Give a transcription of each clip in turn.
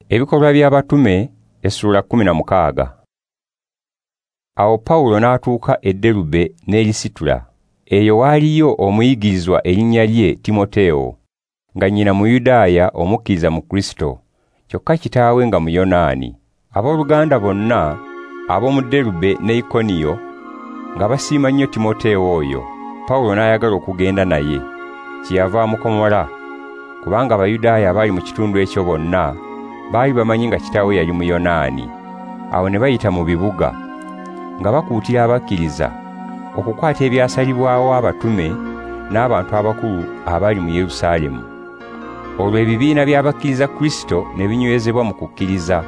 Ebikolwa by'Abatume essula 16. Awo Pawulo n'atuuka e Derube n'e Lisitula. Eyo waaliyo omuyigirizwa erinnya lye Timoteewo, nga nnyina Muyudaaya omukkiriza mu Kristo, kyokka kitaawe nga Muyonaani. Abooluganda bonna ab'omu Derube ne Ikoniyo nga basiima nnyo Timoteewo oyo. Pawulo n'ayagala okugenda naye, kyeyava amukomola, kubanga Abayudaaya abaali mu kitundu ekyo bonna baali bamanyi nga kitaawe yali Muyonaani. Awo ne bayita mu bibuga nga bakuutira abakkiriza okukwata ebyasalibwawo abatume n'abantu abakulu abali mu Yerusaalemu. Olwo ebibiina by'abakkiriza Kristo ne binywezebwa mu kukkiriza,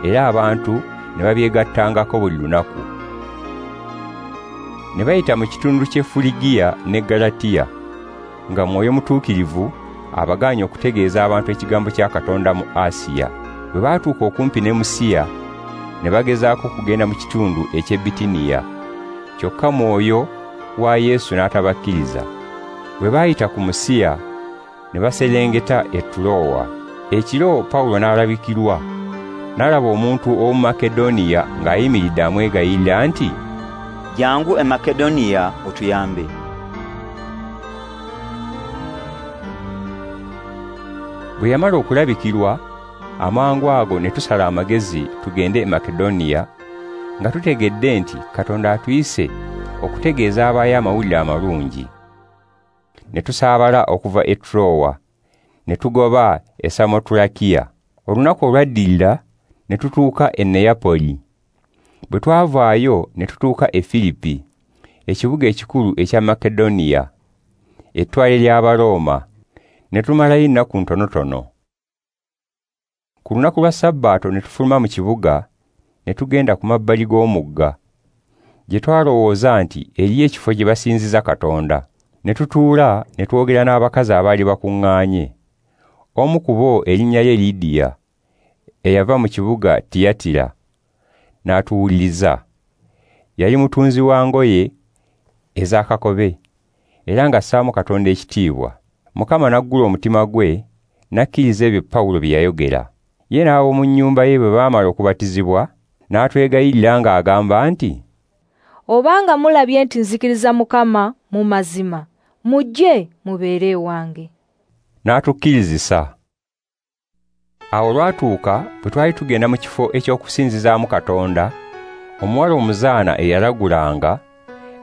era abantu ne babyegattangako buli lunaku. Ne bayita mu kitundu ky'e Fuligiya ne Galatiya, nga Mwoyo Mutuukirivu abagaanye okutegeeza abantu ekigambo kya Katonda mu Asiya. Bwe baatuuka okumpi ne Musiya, ne bagezaako okugenda mu kitundu eky'e Bitiniya, kyokka Mwoyo wa Yesu n'atabakkiriza. Bwe baayita ku Musiya, ne baserengeta e Tulowa. Ekiro Pawulo n'alabikirwa, n'alaba omuntu ow'omu Makedoniya ng'ayimiridde amwegayirira nti, "Jangu e Makedoniya otuyambe." Bwe yamala okulabikirwa, amangu ago ne tusala amagezi tugende e Makedoniya, nga tutegedde nti Katonda atuyise okutegeeza abaayo amawulire amalungi. Ne tusaabala okuva e Tulowa, ne tugoba e Samotulakiya. Olunaku olwaddirira ne tutuuka e Neyapoli. Bwe twavaayo ne tutuuka e Firipi, ekibuga ekikulu ekya Makedoniya, ettwale ly'Abarooma. Ne tumalayo ennaku ntonotono. Ku lunaku lwa Sabbaato ne tufuluma mu kibuga ne tugenda ku mabbali g'omugga, gye twalowooza nti eriyo ekifo gye basinziza Katonda. Ne tutuula ne twogera n'abakazi abaali bakuŋŋaanye. Omu ku bo erinnya lye Lidiya, eyava mu kibuga Tiyatira, n'atuwuliriza. Yali mutunzi wa ngoye ez'akakobe, era ng'assaamu Katonda ekitiibwa. Mukama n'aggula omutima gwe, n'akkiriza ebyo Pawulo bye yayogera. Ye n'ab'omu nnyumba ye bwe baamala okubatizibwa, n'atwegayirira ng'agamba nti, "Obanga mulabye nti nzikiriza Mukama mu mazima, mujje mubeere ewange." N'atukkirizisa. Awo olwatuuka bwe twali tugenda mu kifo eky'okusinzizaamu Katonda, omuwala omuzaana eyalagulanga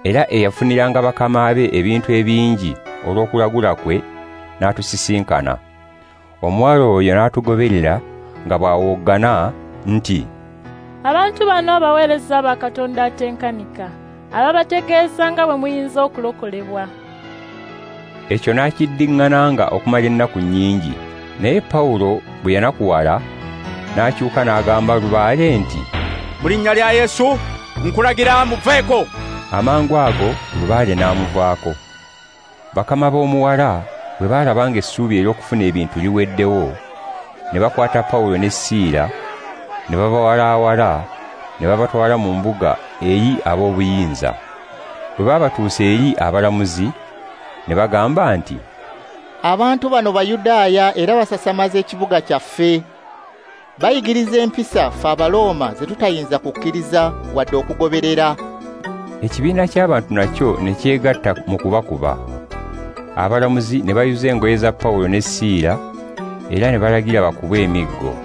era eyafuniranga bakama be ebintu ebingi olw'okulagula kwe, n'atusisinkana. Omuwala oyo n'atugoberera nga bw'awoggana nti, "Abantu bano abaweereza ba Katonda atenkanika, ababategeeza nga bwe muyinza okulokolebwa." Ekyo n'akiddiŋŋananga okumala ennaku nnyingi. Naye Pawulo bwe yanakuwala, n'akyuka n'agamba lubaale nti, "Mu linnya lya Yesu nkulagira muveeko." Amangu ago lubaale n'amuvaako. Bakama b'omuwala bwe baalaba ng'essuubi ery'okufuna ebintu liweddewo, ne bakwata Pawulo ne Siira, ne babawalaawala, ne babatwala mu mbuga eri ab'obuyinza. Bwe baabatuusa eri abalamuzi, ne bagamba nti, "Abantu bano Bayudaaya era basasamaza ekibuga kyaffe. Bayigiriza empisa ffe Abalooma ze tutayinza kukkiriza wadde okugoberera." Ekibiina ky'abantu nakyo ne kyegatta mu kubakuba. Abalamuzi ne bayuza engoye za Pawulo ne Siira, era ne balagira bakubwe emiggo.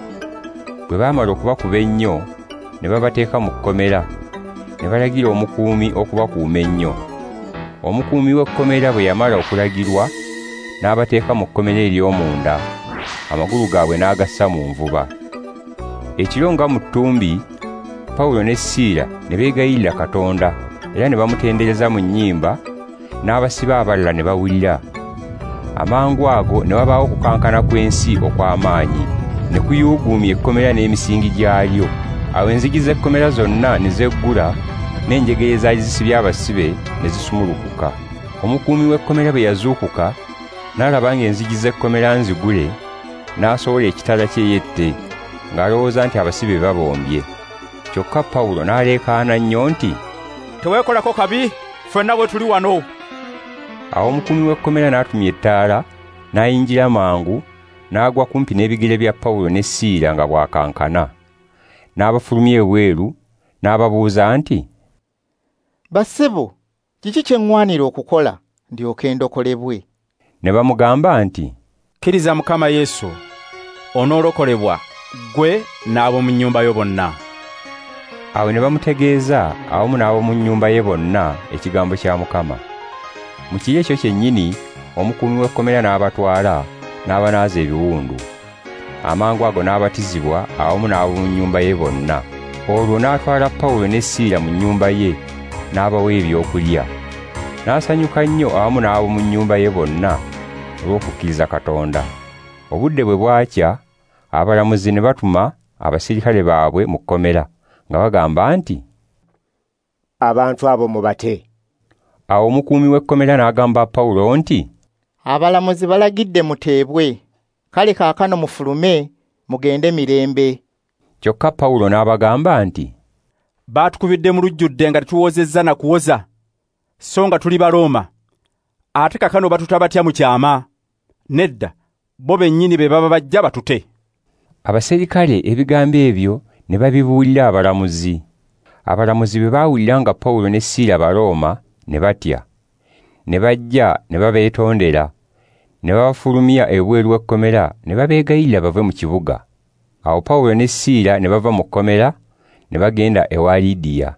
Bwe baamala okubakuba ennyo, ne babateeka mu kkomera, ne balagira omukuumi okubakuuma ennyo. Omukuumi w'ekkomera bwe yamala okulagirwa, n'abateeka mu kkomera ery'omunda, amagulu gaabwe n'agassa mu nvuba. Ekiro nga mu ttumbi, Pawulo ne Siira ne beegayirira Katonda, era ne bamutendereza mu nnyimba, n'abasibe abalala ne bawulira. Amangu ago ne wabaawo okukankana kw'ensi okw'amaanyi, ne kuyuuguumya ekkomera n'emisingi gyalyo. Awo enzigi z'ekkomera zonna ne zeggula, n'enjegere ezaali zisibye abasibe ne zisumulukuka. Omukuumi w'ekkomera bwe yazuukuka, n'alaba ng'enzigi z'ekkomera nzigule, n'asowola ekitala kye yette, ng'alowooza nti abasibe babombye. Kyokka Pawulo n'aleekaana nnyo nti, "Teweekolako kabi, ffenna bwe tuli wano." Awo omukuumi w'ekkomera n'atumya ettaala, n'ayingira mangu, n'agwa kumpi n'ebigere bya Pawulo ne Siira nga bw'akankana. N'abafulumya ebweru, n'ababuuza nti, "Bassebo, kiki kye ŋŋwanira okukola ndyoke ndokolebwe?" Ne bamugamba nti, "Kkiriza Mukama Yesu, onoolokolebwa ggwe n'ab'omu nnyumba yo bonna." Awo ne bamutegeeza awamu n'ab'omu nnyumba ye bonna ekigambo kya Mukama. Mu kiro ekyo kyennyini omukuumi w'ekkomera n'abatwala n'abanaaza ebiwundu. Amangu ago n'abatizibwa awamu n'ab'omu nnyumba ye bonna. Olwo n'atwala Pawulo ne Siira mu nnyumba ye n'abawa ebyokulya. N'asanyuka nnyo awamu n'ab'omu nnyumba ye bonna olw'okukkiriza Katonda. Obudde bwe bwakya, abalamuzi ne batuma abasirikale baabwe mu kkomera nga bagamba nti, "Abantu abo mubate." Awo omukuumi w'ekkomera n'agamba Pawulo nti, "Abalamuzi balagidde muteebwe, kale kaakano mufulume mugende mirembe." Kyokka Pawulo n'abagamba nti, "Baatukubidde mu lujjudde nga tetuwozezza na kuwoza, so nga tuli Balooma. Ate kaakano batuta batya mu kyama? Nedda, bo bennyini be baba bajja batute." Abaserikale ebigambo ebyo ne babibuulira abalamuzi. Abalamuzi bwe baawulira nga Pawulo ne Siira Balooma ne batya. Ne bajja ne babeetondera, ne babafulumya ebweru w'ekkomera ne babeegayirira bave mu kibuga. Awo Pawulo ne Siira ne bava mu kkomera ne bagenda ewa Lidiya.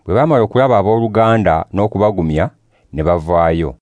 Bwe baamala okulaba abooluganda n'okubagumya ne bavaayo.